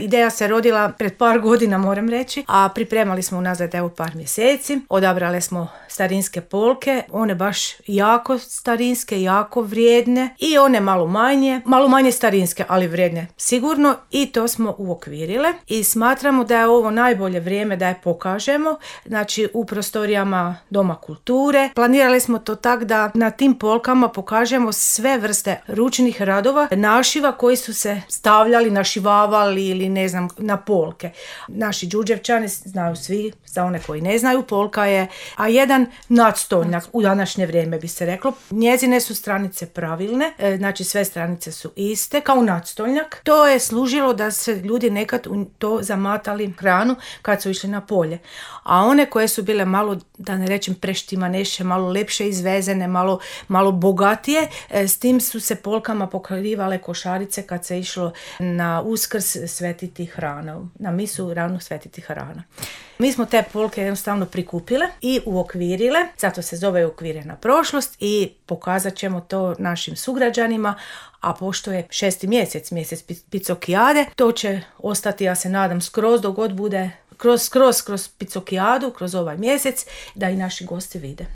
Ideja se rodila pred par godina, moram reći, a pripremali smo unazad par mjeseci. Odabrali smo starinske polke, one baš jako starinske, jako vrijedne i one malo manje starinske, ali vrijedne sigurno, i to smo uokvirile i smatramo da je ovo najbolje vrijeme da je pokažemo, znači u prostorijama Doma kulture. Planirali smo to tako da na tim polkama pokažemo sve vrste ručnih radova, našiva koji su se stavljali, našivavali ili ne znam, na polke. Naši Đurđevčani znaju svi, za one koji ne znaju, polka je jedan nadstolnjak u današnje vrijeme bi se reklo. Njezine su stranice pravilne, znači sve stranice su iste kao nadstolnjak. To je služilo da se ljudi nekad u to zamatali hranu kad su išli na polje. A one koje su bile malo, da ne rečem preštimaneše, malo lepše izvezene, malo bogatije, s tim su se polkama pokrivale košarice kad se išlo na Uskrs svetiti hranu, na misu ranu svetiti hrana. Mi smo te polke jednostavno prikupile i uokvirile, zato se zove Uokvirena prošlost, i pokazat ćemo to našim sugrađanima, a pošto je 6. mjesec Picokijade, to će ostati, ja se nadam, skroz dok god bude kroz Picokijadu, kroz ovaj mjesec, da i naši gosti vide.